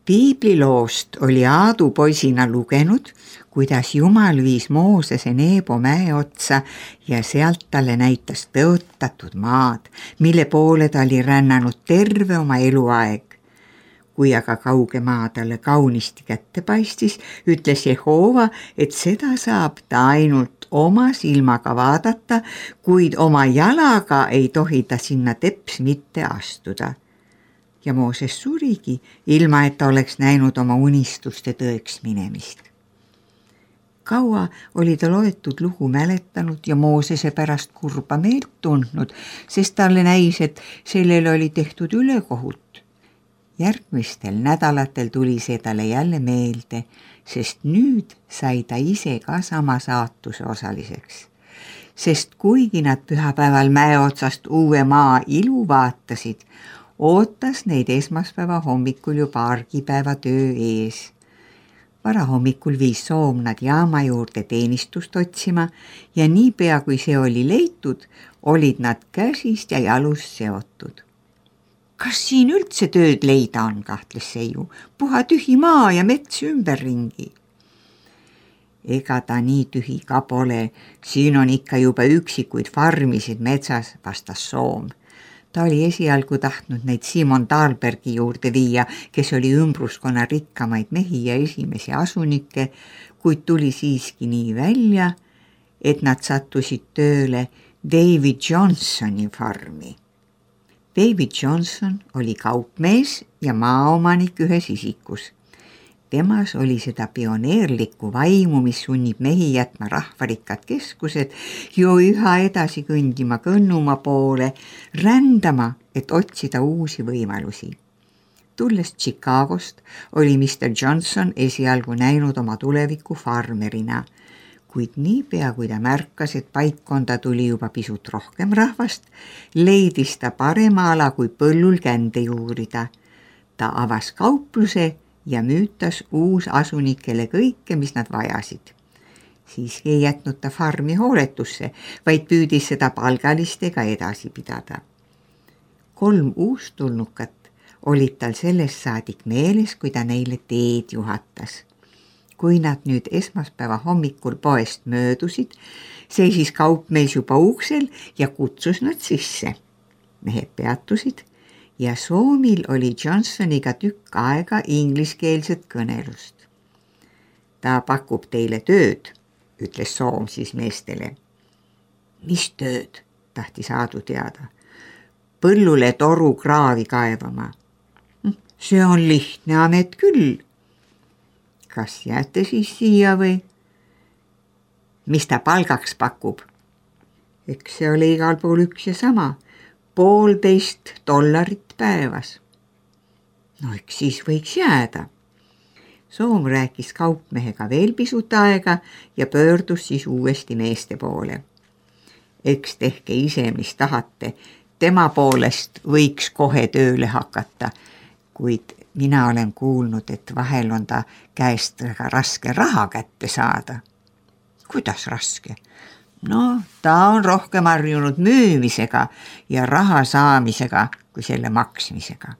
Piibliloost oli Aadu poisina lugenud, kuidas Jumal viis Moosese Neebo mäe otsa ja sealt talle näitas tõotatud maad, mille poole ta oli rännanud terve oma eluaeg. Kui aga kauge maa talle kaunisti kätte paistis, ütles Jehova, et seda saab ta ainult oma silmaga vaadata, kuid oma jalaga ei tohi ta sinna teps mitte astuda. Ja Mooses surigi, ilma et ta oleks näinud oma unistuste tõeks minemist. Kaua oli ta loetud lugu mäletanud ja Moosese pärast kurba meelt tundnud, sest talle näis, et sellele oli tehtud ülekohut. Järgmistel nädalatel tuli see talle jälle meelde, sest nüüd sai ta ise ka sama saatuse osaliseks. Sest kuigi nad pühapäeval mäe otsast uue maa ilu vaatasid, ootas neid esmaspäeva hommikul juba argipäeva töö ees. Varahommikul viis Soom nad jaama juurde teenistust otsima ja niipea kui see oli leitud, olid nad käsist ja jalust seotud. Kas siin üldse tööd leida on, kahtles Seiu, puha tühi maa ja mets ümberringi. Ega ta nii tühi ka pole, siin on ikka juba üksikuid farmisid metsas, vastas Soom. Ta oli esialgu tahtnud neid Simon Dahlbergi juurde viia, kes oli ümbruskonna rikkamaid mehi ja esimesi asunikke, kuid tuli siiski nii välja, et nad sattusid tööle David Johnsoni farmi. David Johnson oli kaupmees ja maaomanik ühes isikus. Temas oli seda pioneerlikku vaimu, mis sunnib mehi jätma rahvarikkad keskused jo üha edasi kõndima Kõnnumaa poole, rändama, et otsida uusi võimalusi. Tulles Chicagost oli Mr. Johnson esialgu näinud oma tuleviku farmerina, kuid niipea kui ta märkas, et paikkonda tuli juba pisut rohkem rahvast, leidis ta parema ala kui põllul kände juurida. Ta avas kaupluse ja müütas uusasunikele kõike, mis nad vajasid. Siiski ei jätnud ta farmi hooletusse, vaid püüdis seda palgalistega edasi pidada. 3 uustulnukat olid tal sellest saadik meeles, kui ta neile teed juhatas. Kui nad nüüd esmaspäeva hommikul poest möödusid, seisis kaupmees juba uksel ja kutsus nad sisse. Mehed peatusid ja Soomil oli Johnsoniga tükk aega ingliskeelset kõnelust. Ta pakub teile tööd, ütles Soom siis meestele. Mis tööd, tahtis Aadu teada. Põllule toru kraavi kaevama. See on lihtne amet küll. Kas jääte siis siia või? Mis ta palgaks pakub? Eks see oli igal pool üks ja sama. $1,5 päevas. No eks siis võiks jääda. Soom rääkis kaupmehega veel pisut aega ja pöördus siis uuesti meeste poole. Eks tehke ise, mis tahate. Tema poolest võiks kohe tööle hakata, kuid mina olen kuulnud, et vahel on ta käest väga raske raha kätte saada. Kuidas raske? No, ta on rohkem harjunud müümisega ja raha saamisega kui selle maksmisega.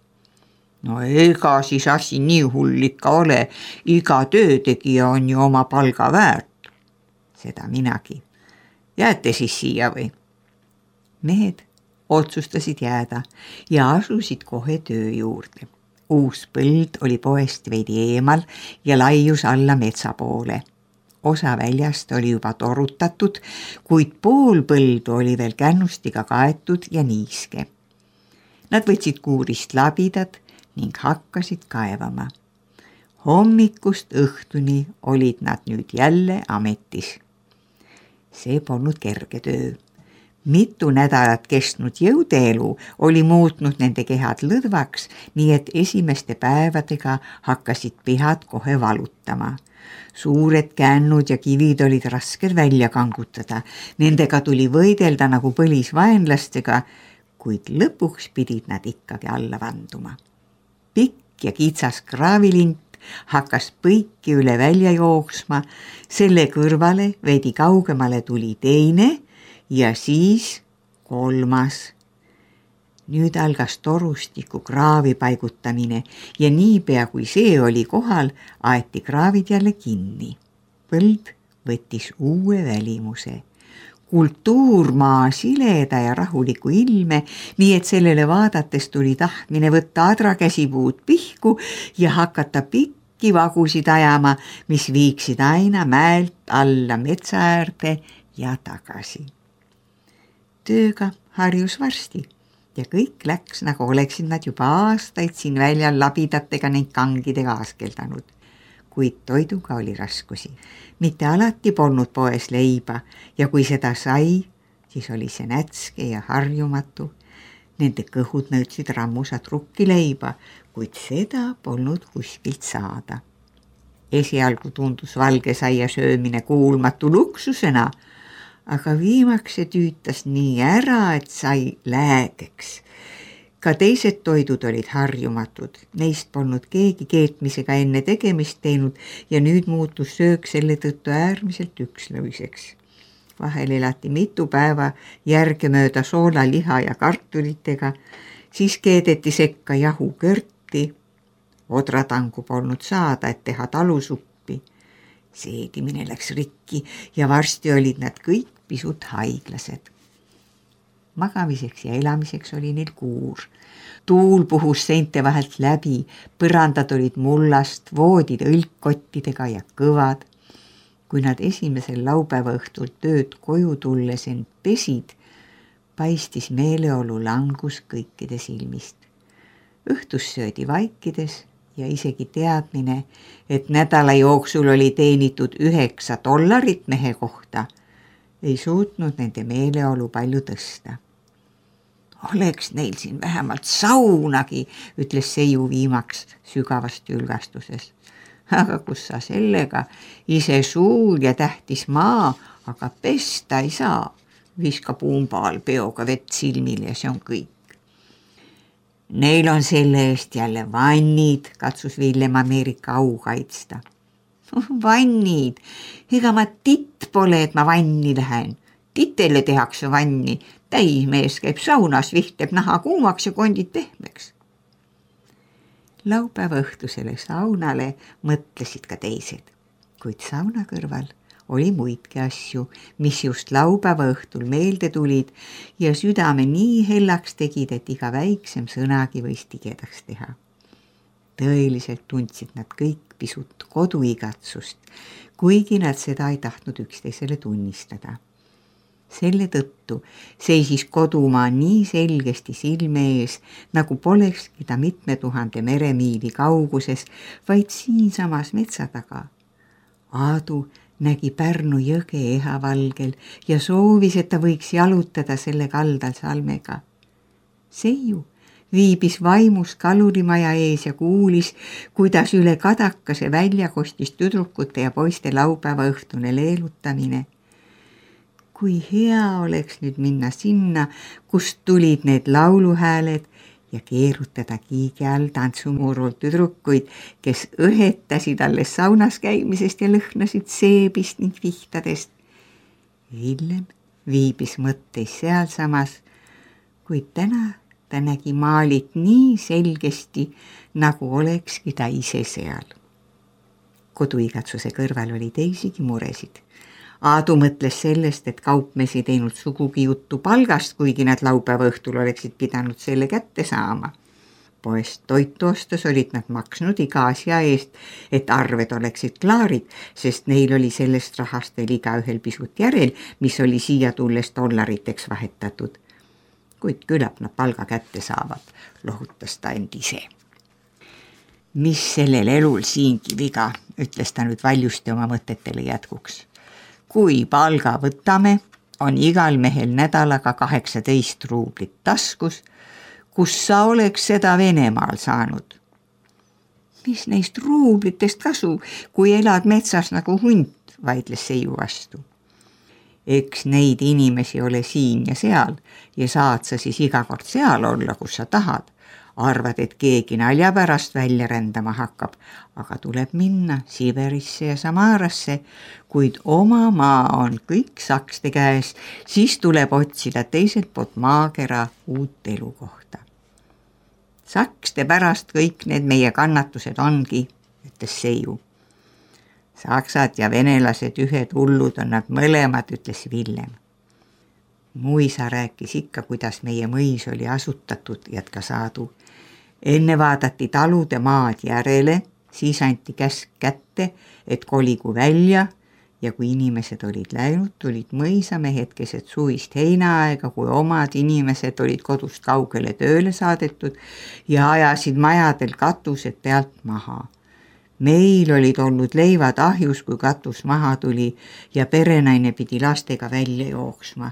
No ega siis asi nii hull ikka ole, iga töötegija on ju oma palga väärt. Seda minagi. Jääte siis siia või? Mehed otsustasid jääda ja asusid kohe töö juurde. Uus põld oli poest veidi eemal ja laius alla metsa poole. Osa väljast oli juba torutatud, kuid pool põldu oli veel kännustiga kaetud ja niiske. Nad võtsid kuurist labidad ning hakkasid kaevama. Hommikust õhtuni olid nad nüüd jälle ametis. See polnud kerge töö. Mitu nädalat kestnud jõudeelu oli muutnud nende kehad lõdvaks, nii et esimeste päevadega hakkasid pihad kohe valutama. Suured kännud ja kivid olid rasked välja kangutada. Nendega tuli võidelda nagu põlisvaenlastega, kuid lõpuks pidid nad ikkagi alla vanduma. Pikk ja kitsas kraavilint hakkas põiki üle välja jooksma, selle kõrvale veidi kaugemale tuli teine ja siis 3. Nüüd algas torustiku kraavi paigutamine ja niipea kui see oli kohal, aeti kraavid jälle kinni. Põld võttis uue välimuse. Kultuurmaa sileda ja rahuliku ilme, nii et sellele vaadates tuli tahtmine võtta adrakäsipuud pihku ja hakata pikki vagusid ajama, mis viiksid aina mäelt alla metsa äärde ja tagasi. Tööga harjus varsti ja kõik läks, nagu oleksid nad juba aastaid siin väljal labidatega ning kangidega askeldanud. Kuid toiduga oli raskusi. Mitte alati polnud poes leiba ja kui seda sai, siis oli see nätske ja harjumatu. Nende kõhud nõudsid rammusat rukkileiba, kuid seda polnud kuskilt saada. Esialgu tundus valgesaia söömine kuulmatu luksusena, aga viimaks see tüütas nii ära, et sai läägeks. Ka teised toidud olid harjumatud, neist polnud keegi keetmisega enne tegemist teinud ja nüüd muutus söök selle tõttu äärmiselt ükslõviseks. Vahel elati mitu päeva järgemööda soola, liha ja kartulitega, siis keedeti sekka jahukörti, odratangu polnud saada, et teha talusuppi. Seedimine läks rikki ja varsti olid nad kõik pisut haiglased. Magamiseks ja elamiseks oli neil kuur. Tuul puhus seinte vahelt läbi, põrandad olid mullast, voodid õlkkottidega ja kõvad. Kui nad esimesel laupäeva õhtul tööd koju tulles end pesid, paistis meeleolu langus kõikide silmist. Õhtus söödi vaikides ja isegi teadmine, et nädala jooksul oli teenitud $9 mehe kohta, ei suutnud nende meeleolu palju tõsta. Oleks neil siin vähemalt saunagi, ütles Seiu viimaks sügavast ülgastuses. Aga kus sa sellega, ise suur ja tähtis maa, aga pesta ei saa. Viska pumbaal peoga vett silmil ja see on kõik. Neil on selle eest jälle vannid, katsus Villem Ameerika au kaitsta. Vannid, ega ma titt pole, et ma vanni lähen. Titele tehakse vanni, täismees käib saunas, vihtleb naha kuumaks ja kondid pehmeks. Laupäeva õhtusele saunale mõtlesid ka teised, kuid sauna kõrval oli muidki asju, mis just laupäeva õhtul meelde tulid ja südame nii hellaks tegid, et iga väiksem sõnagi võis tigedaks teha. Tõeliselt tundsid nad kõik pisut koduigatsust, kuigi nad seda ei tahtnud üksteisele tunnistada. Selle tõttu seisis kodumaa nii selgesti silme ees, nagu polekski ta mitme 1000 meremiili kauguses, vaid siinsamas metsa taga. Aadu nägi Pärnu jõge ehavalgel ja soovis, et ta võiks jalutada selle kaldal salmega. Seiu viibis vaimus kalurimaja ees ja kuulis, kuidas üle kadakase välja kostis tüdrukute ja poiste laupäeva õhtune leelutamine. Kui hea oleks nüüd minna sinna, kust tulid need lauluhääled ja keerutada kiigi all tantsumurul tüdrukuid, kes õhetasid alles saunas käimisest ja lõhnasid seebist ning vihtadest. Villem viibis mõtteis sealsamas, kuid täna ta nägi maalit nii selgesti, nagu olekski ta ise seal. Koduigatsuse kõrval oli teisigi muresid. Aadu mõtles sellest, et kaupmees ei teinud sugugi juttu palgast, kuigi nad laupäeva õhtul oleksid pidanud selle kätte saama. Poest toitu ostes olid nad maksnud iga asja eest, et arved oleksid klaarid, sest neil oli sellest rahast veel igaühel pisut järel, mis oli siia tulles dollariteks vahetatud. Kuid küllap nad palga kätte saavad, lohutas ta end ise. Mis sellel elul siingi viga, ütles ta nüüd valjusti oma mõtetele jätkuks. Kui palga võtame, on igal mehel nädalaga 18 ruublit taskus, kus sa oleks seda Venemaal saanud. Mis neist ruublitest kasu, kui elad metsas nagu hunt, vaidles Seiu vastu. Eks neid inimesi ole siin ja seal ja saad sa siis iga kord seal olla, kus sa tahad, arvad, et keegi nalja pärast välja rändama hakkab, aga tuleb minna Siberisse ja Samarasse, kuid oma maa on kõik sakste käes, siis tuleb otsida teiselt poolt maakera uut elukohta. Sakste pärast kõik need meie kannatused ongi, ütles Seiu. Saksad ja venelased ühed hullud on nad mõlemad, ütles Villem. Mu isa rääkis ikka, kuidas meie mõis oli asutatud, jätkas Aadu. Enne vaadati talude maad järele, siis anti käsk kätte, et koligu välja ja kui inimesed olid läinud, tulid mõisamehed keset suvist heinaaega, kui omad inimesed olid kodust kaugele tööle saadetud ja ajasid majadel katused pealt maha. Meil olid olnud leivad ahjus, kui katus maha tuli ja perenaine pidi lastega välja jooksma.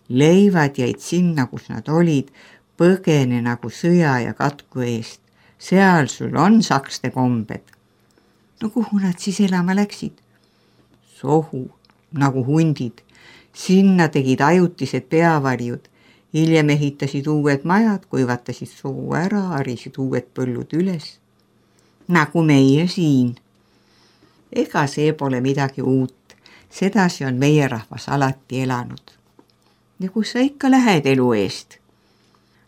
Leivad jäid sinna, kus nad olid, põgene nagu sõja ja katku eest. Seal sul on sakste kombed. No kuhu nad siis elama läksid? Sohu, nagu hundid. Sinna tegid ajutised peavarjud. Hiljem ehitasid uued majad, kuivatasid soo ära, harisid uued põllud üles. Nagu meie siin. Ega see pole midagi uut. Sedasi on meie rahvas alati elanud. Ja kus sa ikka lähed elu eest?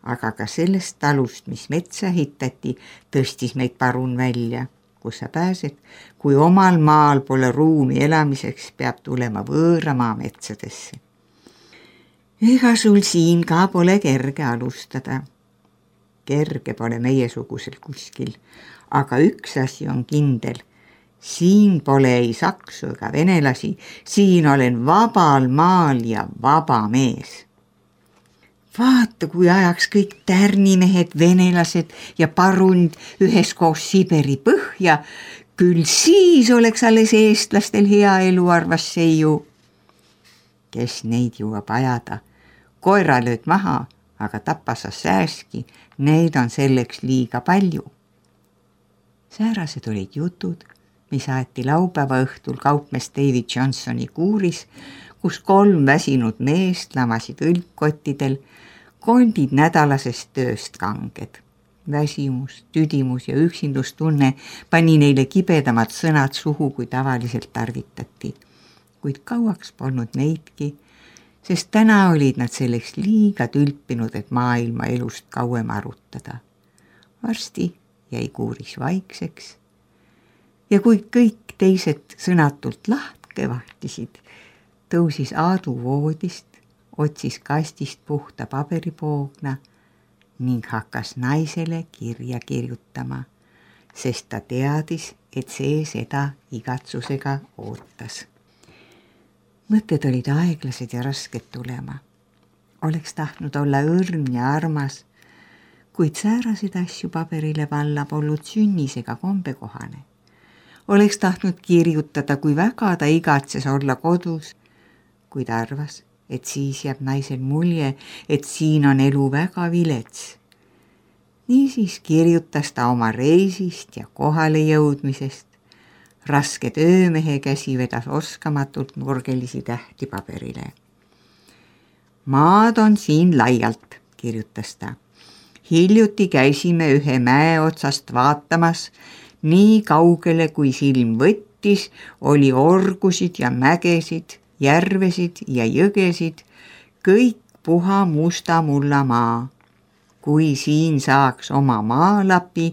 Aga ka sellest talust, mis metsa ehitati, tõstis meid parun välja. Kus sa pääsed? Kui omal maal pole ruumi elamiseks, peab tulema võõramaa metsadesse. Ega sul siin ka pole kerge alustada. Kerge pole meiesugusel kuskil, aga üks asi on kindel. Siin pole ei saksu ega venelasi, siin olen vabal maal ja vaba mees. Vaata, kui ajaks kõik tärnimehed, venelased ja parund üheskoos Siberi põhja, küll siis oleks alles eestlastel hea elu, arvas Seiu. Kes neid jõuab ajada? Koera lööd maha, aga tappa sa sääski, neid on selleks liiga palju. Säärased olid jutud, mis aeti laupäeva õhtul kaupmees David Johnsoni kuuris, kus 3 väsinud meest lamasid õlgkottidel, kondid nädalasest tööst kanged. Väsimus, tüdimus ja üksindustunne pani neile kibedamad sõnad suhu, kui tavaliselt tarvitati. Kuid kauaks polnud neidki, sest täna olid nad selleks liiga tülpinud, et maailma elust kauem arutada. Varsti jäi kuuris vaikseks ja kui kõik teised sõnatult lahke vahtisid, tõusis Aadu voodist, otsis kastist puhta paberipoogna ning hakkas naisele kirja kirjutama, sest ta teadis, et see seda igatsusega ootas. Mõtted olid aeglased ja rasked tulema. Oleks tahtnud olla õrn ja armas, kuid sääraseid asju paberile panna polnud sünnisega kombekohane. Oleks tahtnud kirjutada, kui väga ta igatses olla kodus, kuid arvas, et siis jääb naisel mulje, et siin on elu väga vilets. Niisiis kirjutas ta oma reisist ja kohale jõudmisest. Raske töömehe käsi vedas oskamatult nurgelisi tähti paberile. Maad on siin laialt, kirjutas ta. Hiljuti käisime ühe mäe otsast vaatamas, nii kaugele kui silm võttis, oli orgusid ja mägesid, järvesid ja jõgesid, kõik puha musta mulla maa. Kui siin saaks oma maalapi,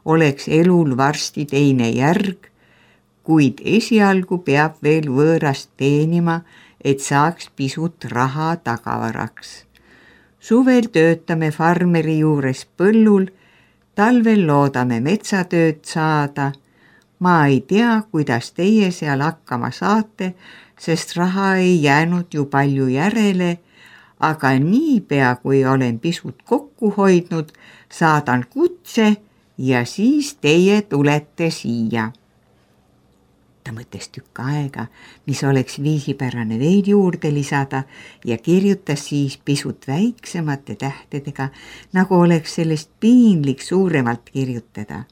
oleks elul varsti teine järg, kuid esialgu peab veel võõrast teenima, et saaks pisut raha tagavaraks. Suvel töötame farmeri juures põllul, talvel loodame metsatööd saada. Ma ei tea, kuidas teie seal hakkama saate, sest raha ei jäänud ju palju järele, aga niipea, kui olen pisut kokku hoidnud, saadan kutse ja siis teie tulete siia. Ta mõtles tükk aega, mis oleks viisipärane veel juurde lisada ja kirjutas siis pisut väiksemate tähtedega, nagu oleks sellest piinlik suuremalt kirjutada.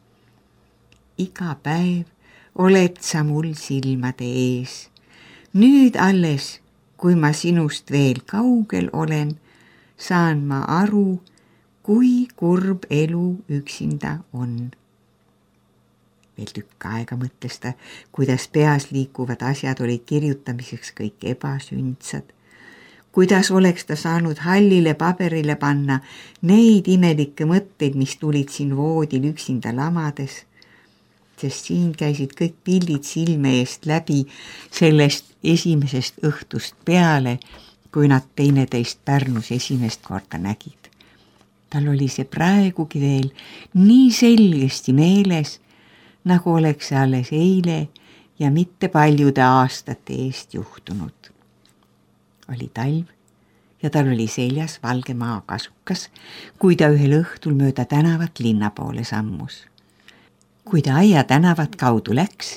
Iga päev oled sa mul silmade ees. Nüüd alles, kui ma sinust veel kaugel olen, saan ma aru, kui kurb elu üksinda on. Veel tükk aega mõtles ta, kuidas peas liikuvad asjad olid kirjutamiseks kõik ebasündsad. Kuidas oleks ta saanud hallile paberile panna neid imelikke mõtteid, mis tulid siin voodil üksinda lamades, sest siin käisid kõik pildid silme eest läbi sellest esimesest õhtust peale, kui nad teineteist Pärnus esimest korda nägid. Tal oli see praegugi veel nii selgesti meeles, nagu oleks see alles eile ja mitte paljude aastate eest juhtunud. Oli talv ja tal oli seljas valge maakasukas, kui ta ühel õhtul mööda tänavat linna poole sammus. Kui ta aia tänavat kaudu läks,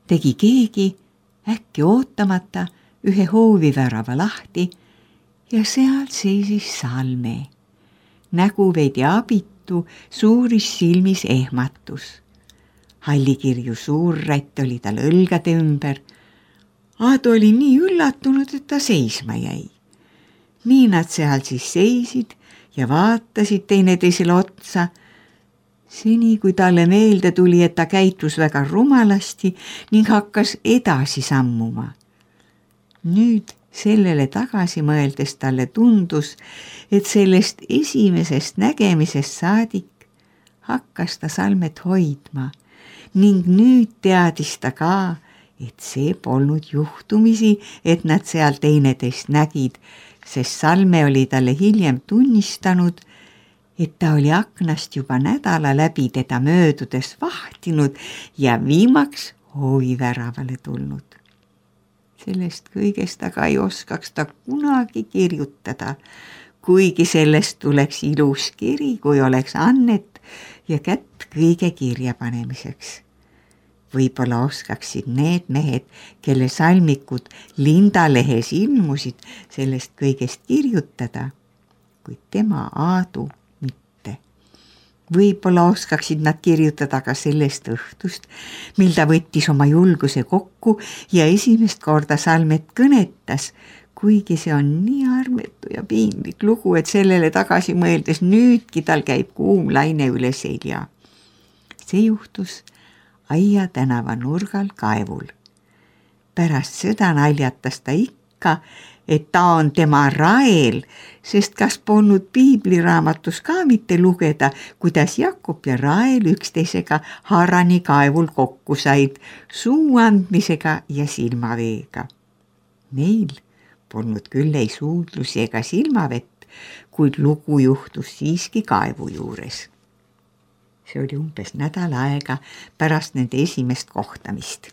tegi keegi äkki ootamata ühe hoovivärava lahti ja seal seisis Salme. Nägu veidi abitu, suuris silmis ehmatus. Hallikirju suurrätt oli tal õlgade ümber. Aadu oli nii üllatunud, et ta seisma jäi. Nii nad seal siis seisid ja vaatasid teineteisele otsa, seni kui talle meelde tuli, et ta käitus väga rumalasti ning hakkas edasi sammuma. Nüüd sellele tagasi mõeldes talle tundus, et sellest esimesest nägemisest saadik hakkas ta Salmet hoidma ning nüüd teadis ta ka, et see polnud juhtumisi, et nad seal teineteist nägid, sest Salme oli talle hiljem tunnistanud, et ta oli aknast juba nädala läbi teda möödudes vahtinud ja viimaks hooviväravale tulnud. Sellest kõigest aga ei oskaks ta kunagi kirjutada, kuigi sellest tuleks ilus kiri, kui oleks annet ja kätt kõige kirja panemiseks. Võib-olla oskaksid need mehed, kelle salmikud Lindalehes ilmusid, sellest kõigest kirjutada, kuid tema Aadu mitte. Võib-olla oskaksid nad kirjutada ka sellest õhtust, mil ta võttis oma julguse kokku ja esimest korda Salmet kõnetas, kuigi see on nii armetu ja piinlik lugu, et sellele tagasi mõeldes nüüdki tal käib kuum laine üle selja. See juhtus aia tänava nurgal kaevul. Pärast seda naljatas ta ikka, et ta on tema Rael, sest kas polnud piibliraamatus ka mitte lugeda, kuidas Jakob ja Rael üksteisega Harani kaevul kokku said suu andmisega ja silmaveega. Neil polnud küll ei suudlusi ega silmavett, kuid lugu juhtus siiski kaevu juures. See oli umbes nädal aega pärast nende esimest kohtamist.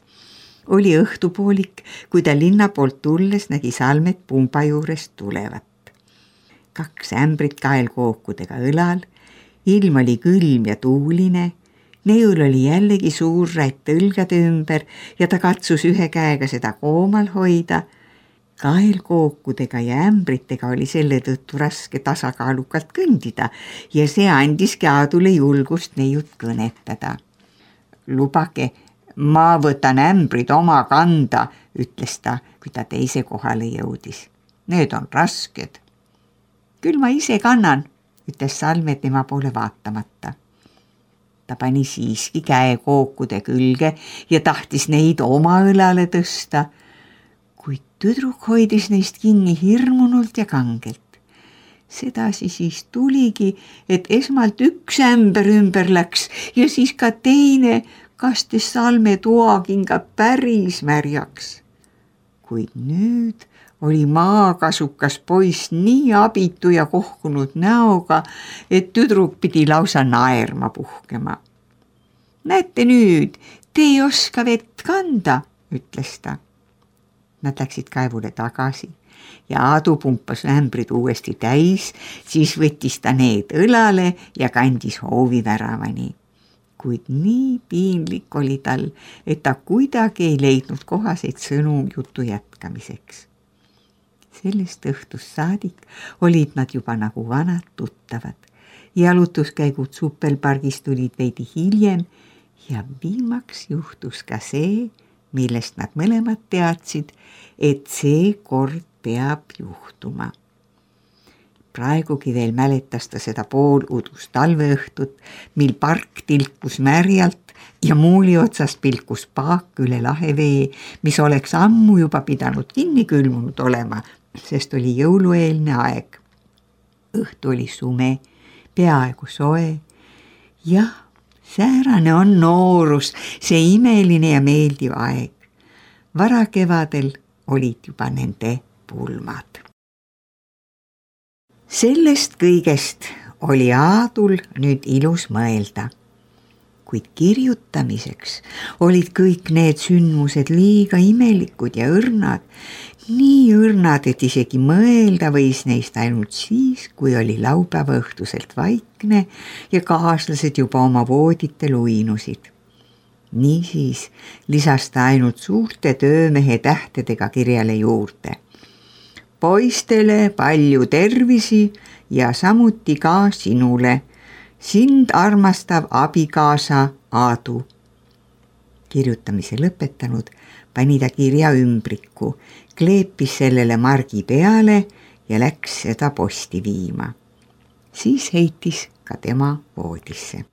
Oli õhtupoolik, kui ta linna poolt tulles nägi Salmet pumba juurest tulevat. 2 ämbrit kaelkookudega õlal, ilm oli külm ja tuuline, neiul oli jällegi suur rätt õlgade ümber ja ta katsus ühe käega seda koomal hoida. Kaelkookudega ja ämbritega oli selle tõttu raske tasakaalukalt kõndida ja see andiski Aadule julgust neiut kõnetada. Lubage, ma võtan ämbrid oma kanda, ütles ta, kui ta teise kohale jõudis. Need on rasked. Küll ma ise kannan, ütles Salme tema poole vaatamata. Ta pani siiski käe kookude külge ja tahtis neid oma õlale tõsta, kuid tüdruk hoidis neist kinni hirmunult ja kangelt. Sedasi siis tuligi, et esmalt 1 ämber ümber läks ja siis ka teine, kastis Salme toakinga päris märjaks. Kuid nüüd oli maakasukas poiss nii abitu ja kohkunud näoga, et tüdruk pidi lausa naerma puhkema. Näete nüüd, te ei oska vett kanda, ütles ta. Nad läksid kaevule tagasi ja Aadu pumpas ämbrid uuesti täis, siis võttis ta need õlale ja kandis hooviväravani. Kuid nii piinlik oli tal, et ta kuidagi ei leidnud kohaseid sõnu jutu jätkamiseks. Sellest õhtust saadik olid nad juba nagu vanad tuttavad. Jalutuskäigud Suppelpargis tulid veidi hiljem ja viimaks juhtus ka see, millest nad mõlemad teadsid, et see kord peab juhtuma. praegugi veel mäletas ta seda pooludust talveõhtut, mil park tilkus märjalt ja muuli otsast pilkus paak üle lahevee, mis oleks ammu juba pidanud kinni külmunud olema, sest oli jõulueelne aeg. Õhtu oli sume, peaaegu soe. Jah, säärane on noorus, see imeline ja meeldiv aeg. Varakevadel olid juba nende pulmad. Sellest kõigest oli Aadul nüüd ilus mõelda, kuid kirjutamiseks olid kõik need sündmused liiga imelikud ja õrnad, nii õrnad, et isegi mõelda võis neist ainult siis, kui oli laupäeva õhtuselt vaikne ja kaaslased juba oma vooditel uinusid. Niisiis lisas ta ainult suurte töömehe tähtedega kirjale juurde. Poistele palju tervisi ja samuti ka sinule, sind armastav abikaasa Aadu. Kirjutamise lõpetanud pani ta kirja ümbriku, kleepis sellele margi peale ja läks seda posti viima. Siis heitis ka tema voodisse.